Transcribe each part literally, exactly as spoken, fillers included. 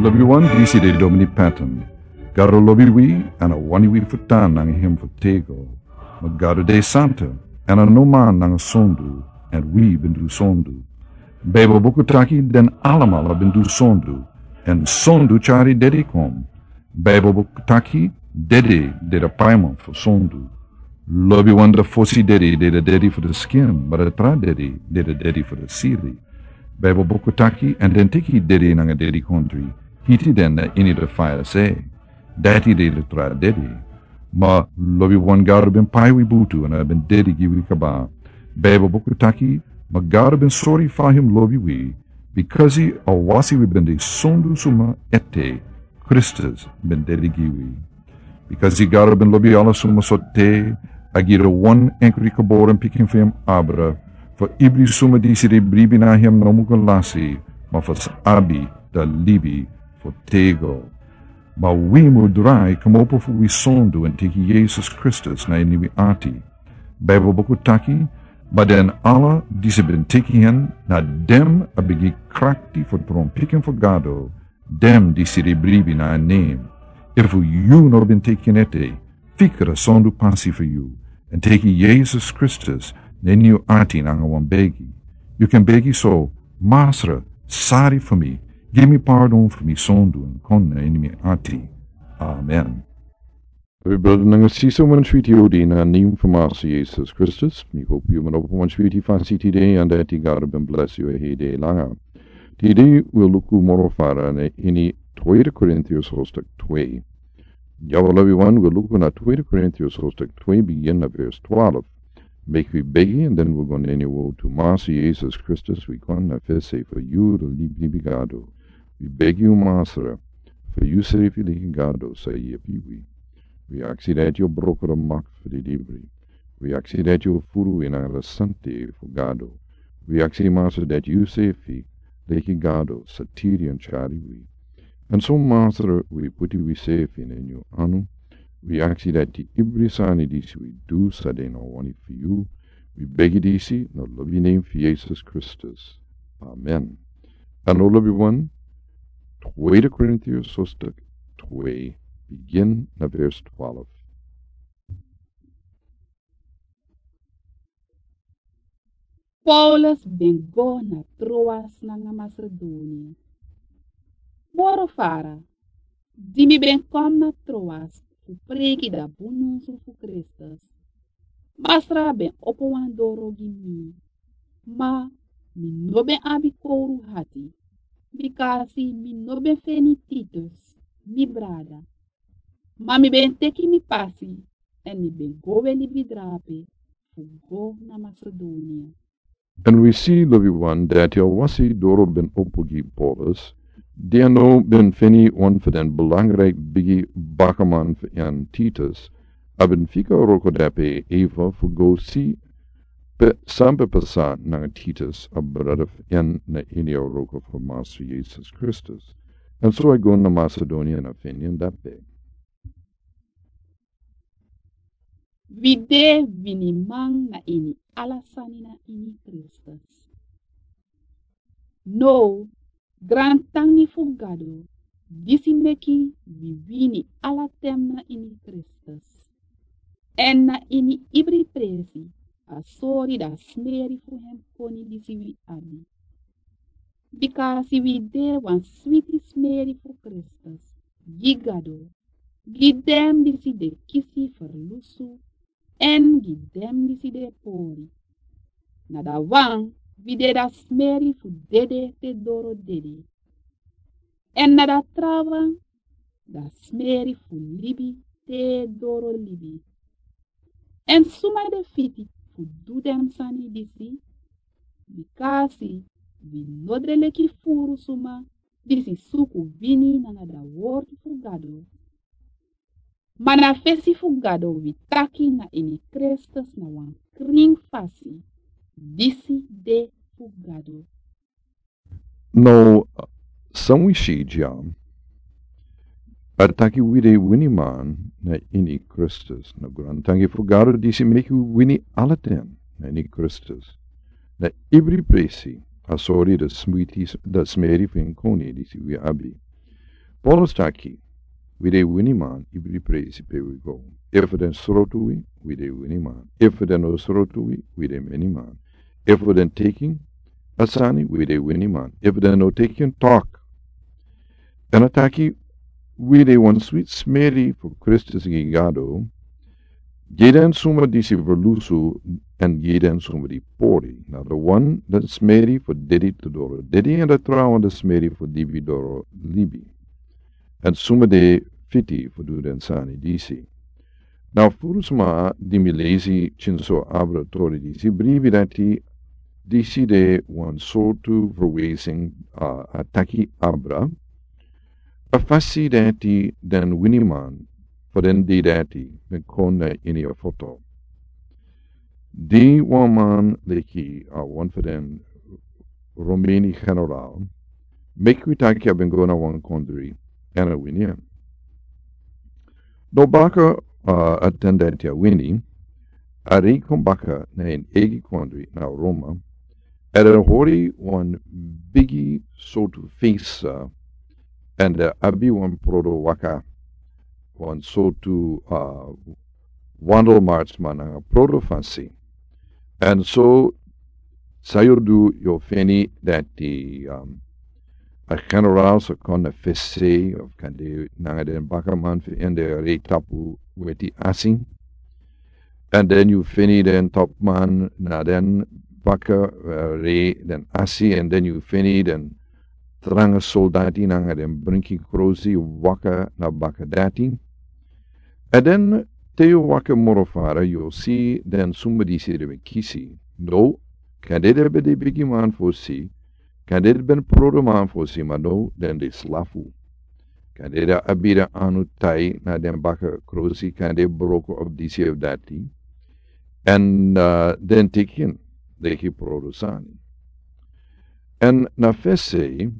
Lobiwan, disi de Domini Patton. Gado lobi wi, èn a wani wi fu tan nanga hem fu tego. Ma Gado de santa, èn a no man nanga sondu, èn wi ben du sondu. Baibel buku taki den alamala ben du sondu, èn sondu tyari dede kon. Baibel buku taki dede de a paiman fu sondu. Lobiwan, a fosi dede de a dede fu a skin, ma a tra dede de a dede fu a sili. Baibel buku taki, èn den teki dede nanga dede kondre, hiti den na ini a faya sei. Dati de a tra dede. Ma lobiwan, Gado ben pai wi butu èn a ben dede gi wi kaba. Baibel buku taki, ma Gado ben sori fa hem lobi wi, bikasi a wasi wi ben de sondu suma ete, Kristus ben dede gi wi. Bikasi Gado ben lobi ala suma so te, a gi a wan enkri geboren pikin fu hem abra, fu ibri suma disi de bribi na hem no muka lasi, ma fu sa abi a libi fu tego. Ma wi mu drai kmopo fu wi sondu èn teki Yesus Kristus na ini wi ati. Baibel buku taki, ma den ala disi ben teki hen, na den a ben gi krakti fu tron pikin fu Gado, den disi de bribi na a nen. Efu yu no ben teki en ete, fika a sondu pasi fu yu, èn teki Yesus Kristus na ini yu ati nanga wan begi. Yu kan begi so: Masra, sori fu mi, gi mi pardon fu mi sondu èn kon na ini mi ati. Amen. Lobi brada nanga sisa, wan switi odi na a nen fu Masra Yesus Kristus. Mi hopi yu man opo wan switi fasi tide, èn dati Gado ben blesi yu a heri langa. Tide wi o luku moro fara na ini Tweede Korintiërs hoofdstuk twee. Ya, lobiwan, wi o luku na Tweede Korintiërs hoofdstuk twee, bigin na vers twaalf. Meki wi begi, èn den wi o go na ini a wortu. Masra Yesus Kristus, wi kon na fesi fu yu, a libi Gado. Wi begi yu, Masra, fu yu srefi leki Gado sa yepi wi. Wi aksi dati yu o broko a mak fu a libri. Wi aksi dati yu o furu wi nanga a sante fu Gado. Wi aksi, Masra, dati yu srefi leki Gado sa tiri èn tyari wi. Èn so, Masra, wi puti wi srefi na ini yu anu. Wi aksi dati ibri sani disi wi du sa de na wani fu yu. Wi begi disi na a lobi nen fu Yesus Kristus. Amen. Èn now, lobiwan, Tweede Korintiërs hoofdstuk twee, bigin na vers twaalf. Paulus ben go na Troas nanga Masedonia. Moro fara, di mi ben kon na Troas fu preki a bun nyunsu fu Kristus, Masra ben opo wan doro gi mi, ma mi no ben abi kowru ati, bikasi mi no ben feni Titus, mi brada. Ma mi ben teki mi pasi, èn mi ben go we libi drape fu go na Masedonia. Èn wi si, lobiwan, dati a wasi doro ben opo gi Paulus, di a no ben feni wan fu den belangrijk bigi bakaman fu en, Titus, a ben fika wroko drape eva fu go si pe san ben pasa nanga Titus, a brada fu en na ini a wroko fu Masra Yesus Kristus. Èn so a go na Masedonia èn a feni en drape. Wi de winiman na ini ala sani na ini Kristus. Now, grantangi fu Gado, disi meki wi wini ala ten na ini Kristus. Èn na ini ibri presi a sori a smeri fu hem koni disi wi abi. Bikasi wi de wan switi smeri fu Kristus gi Gado, gi den disi de kisi ferlusu, èn gi den disi de pori. Na a wan wi de a smeri fu dede te doro dede. Èn na a trawan, a smeri fu libi te doro libi. Èn suma de fiti fu du den sani disi? Bikasi wi no de leki furu suma disi suku wini nanga a wortu fu Gado. Ma na fesi fu Gado wi taki na ini Kristus na wan krin fasi, disi de fu Gado. Now, san wi si dya, a taki wi de winiman na ini Kristus, na grantangi fu Gado disi meki wi wini ala ten na ini Kristus. Na ibri presi a sori a smeri, a smeri fu en koni disi wi abi. Paulus taki, wi de winiman, ibri presi pe wi go. Efu den srotu wi, wi de winiman. Efu den no srotu wi, wi de miniman. Efu den teki a sani, wi de winiman. Efu den no teki en, tok. Èn a taki, wi de wan switi smeri fu Kristus gi Gado, gi den suma disi ferlusu, èn gi den suma di pori. Na den wan den smeri fu dedi tu doro dedi, èn den trawan den smeri fu libi doro libi. Èn suma de fiti fu du den sani disi. Na furu sma di mi leisi kinso abra tori disi bribi dati, disi de wan sortu verwijzing, a, a taki abra a fasi dati den winiman fu den dei dati ben kon na ini a foto. Di wan man leki, a, wan fu den Romeni general, meki wi taki a ben go na wan kondri èn a wini en. No baka, a, a ten dati a wini, a rei kon baka na en eigi kondri na Roma, èn a hori wan bigi sortu fesa, èn a abi wan prodo waka, wan sortu, a, wandelmartsman nanga prodo fasi. Èn so san yu du, yu feni dati, um, a general sa kon na fesi, of kande nanga den bakaman fu en di e rei tapu weti asi. Èn den yu feni den topman na den baka, e, rei den asi, èn den yu feni den tranga soldati nanga den brinki krosi waka na baka dati. Èn den te yu waka moro fara, yu o si den suma disi den ben kisi. No, kande den ben de bigiman fosi, kande den ben prodoman fosi, ma no, den de slafu. Kande den abi den anu tai na den baka krosi, kande broko of disi of dati. Èn, a, den teki en leki prodo sani. Èn na fesi,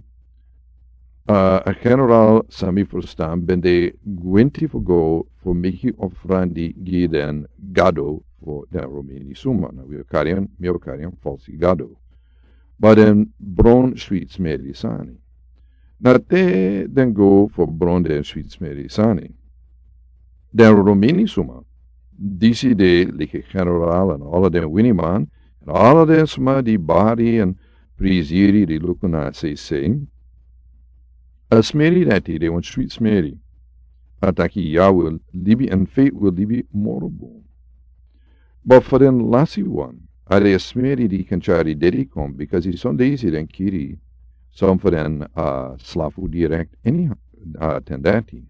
a, a general san mi ferstan ben de gwenti fu go fu meki ofrandi gi den gado fu den Romeni suma, na wi o kari en, mi o kari en falsi gado. Ma den bron switi smeri sani. Na te den go fu bron den switi smeri sani. Den Romeni suma, disi de leki general èn ala den winiman, èn ala den sma di bari èn prisiri di luku na sei sei. A smeri dati de wan switi smeri. A taki yu wil libi èn fu yu wil libi moro bun. Ma fu den lasi wan, a de a smeri di kan tyari dedi kon, bikasi son disi den kiri son fu den, a, slafu direkt ini, a, ten dati.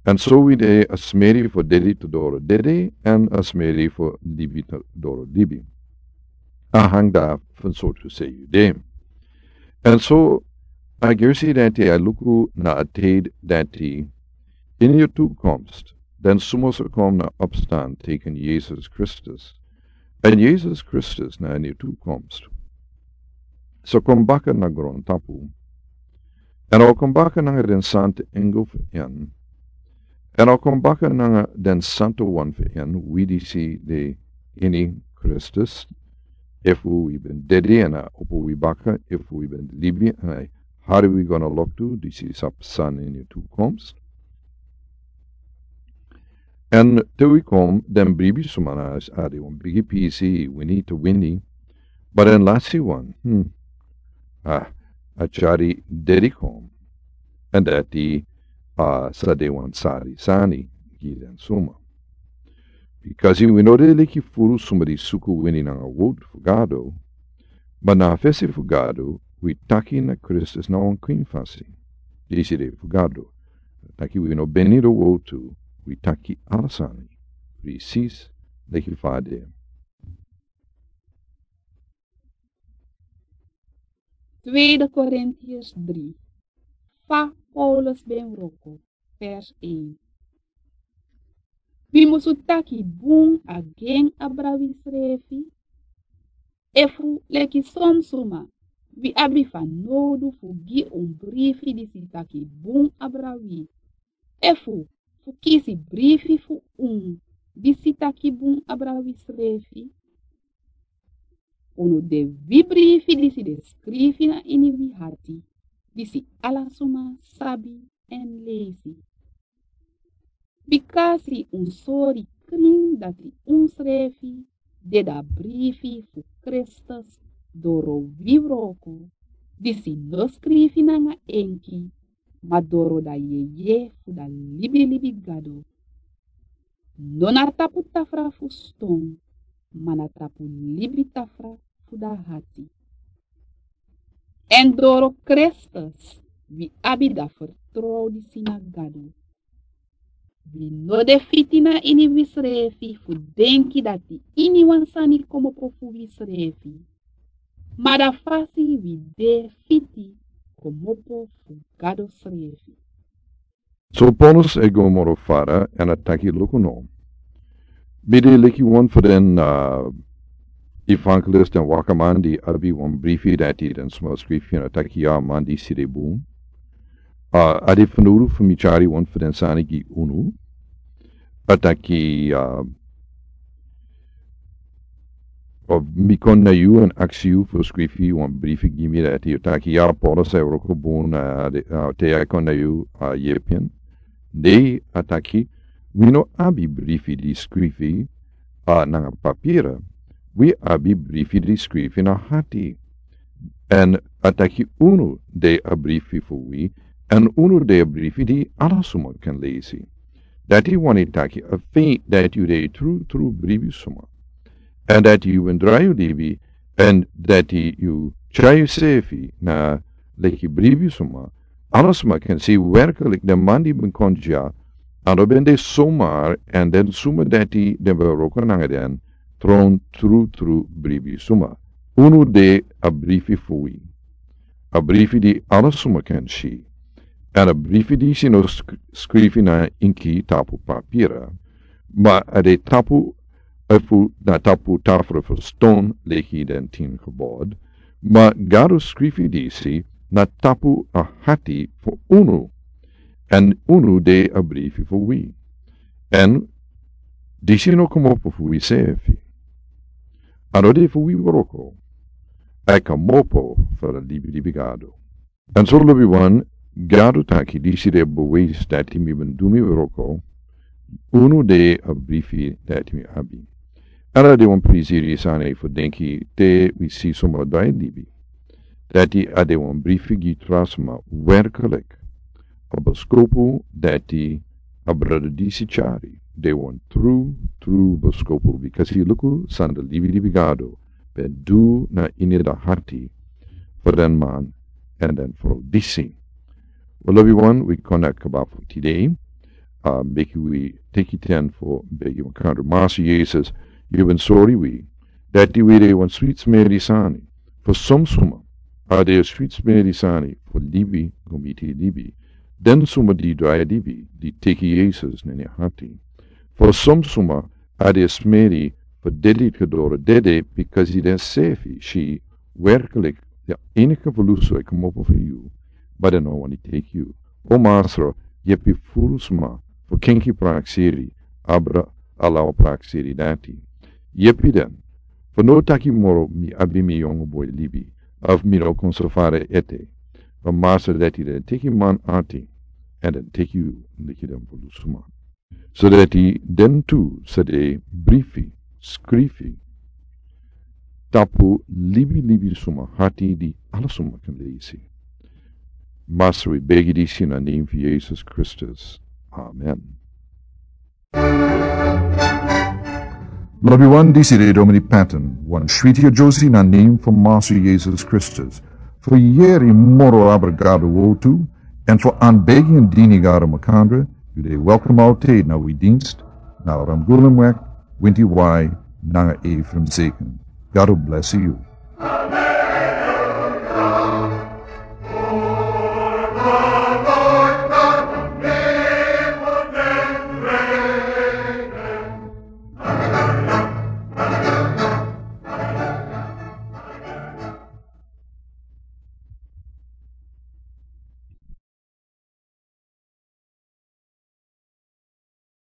Èn so wi de a smeri fu dedi tu doro dedi, èn a smeri fu libi tu doro libi. A hang dati fu sortu sei yu de. Èn so a gersi dati a luku na a tide dati ini a toekomst, den suma sa kon na opstan teken Yesus Kristus. Èn Yesus Kristus na ini a toekomst sa kon baka na grontapu. Èn a o kon baka nanga den santa engel fu en. Èn a o kon baka nanga den santa wan fu en, wi disi de ini Kristus. Efu wi ben dedi èn a opo wi baka, efu wi ben libi èn a hari wi go na loktu, disi sa psa ini a toekomst. Èn te wi kon, den bribi suma na a de wan bigi pisi, wini tu wini. Ma den lasi wan, hmm, a, a tyari dedi kon. Èn dati, a, sa de wan sari sani gi den suma. Bikasi wi no de leki furu suma di suku wini nanga wowtu fu Gado. Ma na fesi fu Gado, wi taki na Kristus na wan kwin fasi. Disi de fu Gado. Taki wi no beni den wowtu, wi taki ala sani. Presis leki fa a de. Tweede Korintiërs drie. Fa Paulus ben wroko, vers één. Wi musu taki bun a gen abra wi srefi. Efu leki son suma, wi abi fanowdu fu gi un brifi disi taki bun abra wi. Efu fu kisi brifi fu un disi taki bun abra wi srefi. Unu de wi brifi disi de skrifi na ini wi hati. disi ala suma sabi èn leisi. Bika a si un sori krin dati unsrefi de a brifi fu Kristus doro wi wroko, disi no skrifi nanga enki, ma doro a yeye fu a libilibi Gado. No na tapu tafra fu ston, ma na tapu libi tafra fu a hati. Èn doro Kristus wi abi a fertrow disi na Gado. Wi no de fiti na ini wisrefi fu denki dati iniwan sani kmopo fu wisrefi, ma a fasi wi de fiti kmopo fu Gado srefi. So Paulus e go moro fara èn a taki: Luku no, mi de leki wan fu den, ah, evangelist èn wakaman di abi wan brifi dati den sma skrifi, èn a taki: Ya, man disi de bun. Ah, a de fanowdu fu mi tyari wan fu den sani gi unu. A taki, ah, Of mi kon na yu èn aksi yu fu skrifi wan brifi gi mi dati. Yu taki: Ya, Paulus e wroko bun, ah, de, ah, te a kon na yu, ah, yepi en. Ne, a taki: Wi no abi brifi di skrifi, ah, nanga papira. Wi abi brifi di skrifi na hati. Èn a taki: Unu de a brifi fu wi, èn unu de a brifi di ala suma kan leisi. Dati wani taki a feit dati yu de tru tru bribi suma, èn dati yu ben drai yu libi, èn dati yu tyai yusefi na leki bribi suma. Ala suma kan si werklik den man di ben kon dya, a no ben de somar, èn den suma dati den ben wroko nanga den, tron tru tru bribi suma. Unu de a brifi fu wi, a brifi di ala suma kan si. Èn a brifi disi no sk-, skrifi na inki tapu papira, ma a de tapu, efu na tapu tafra fu ston leki den Tin Gebod, ma Gado skrifi disi na tapu a hati fu unu, èn unu de a brifi fu wi. Èn disi no kmopo fu wisefi. A no de fu wi wroko. A kmopo fu a libilibi Gado. Èn so lobiwan, Gado taki disi de bewijs dati mi ben du mi wroko, unu de a brifi dati mi abi. Ala de wan prisiri sani fu denki te wi si suma drai libi. Dati a de wan brifi gi tra suma werklik. A boskopu dati a brada disi tyari de wan tru, tru boskopu, bikasi luku san a libilibi Gado ben du na ini a hati fu den man èn den frow disi. Wel, lobiwan, wi kon na kaba fu tide. Ah, meki wi teki ten fu begi. Wi kan du: Masa Yesus, yu ben sori wi dati wi de wan swit smeri sani. Fu son suma a de swit smeri sani fu libi go miti libi. Den suma di drai libi, di teki Yesus na nyan hati. Fu son suma a de smeri fu dede, ka doro dede, bikasi den sefi si werklik a eniki fu lusu e kmopo fu yu, ma den no wani teki yu. O Masra, yepi furu suma fu kenki prakseri, abra a law prakseri dati. Yepi den fu no taki moro mi abi mi yongu boi libi, of mi no kon so fara ete. Ma Masra, dati den teki man ati, èn den teki yu leki den furu suma. So dati den tu sa de brifi skrifi tapu libilibi suma hati, di ala suma kan leisi. Masra, wi begi disi na nen fu Yesus Kristus. Amen. Lobiwan, disi de Domini Patton, wan switi a Josi na nen fu Masra Yesus Kristus. Fu yeri moro abra Gado wowtu, èn fu anbegi èn dini Gado makandra, yu de welkom altid na wi dinst, na Ramgulen Wek, Winti Wai, nanga Efraim Zeken. Gado blesi yu.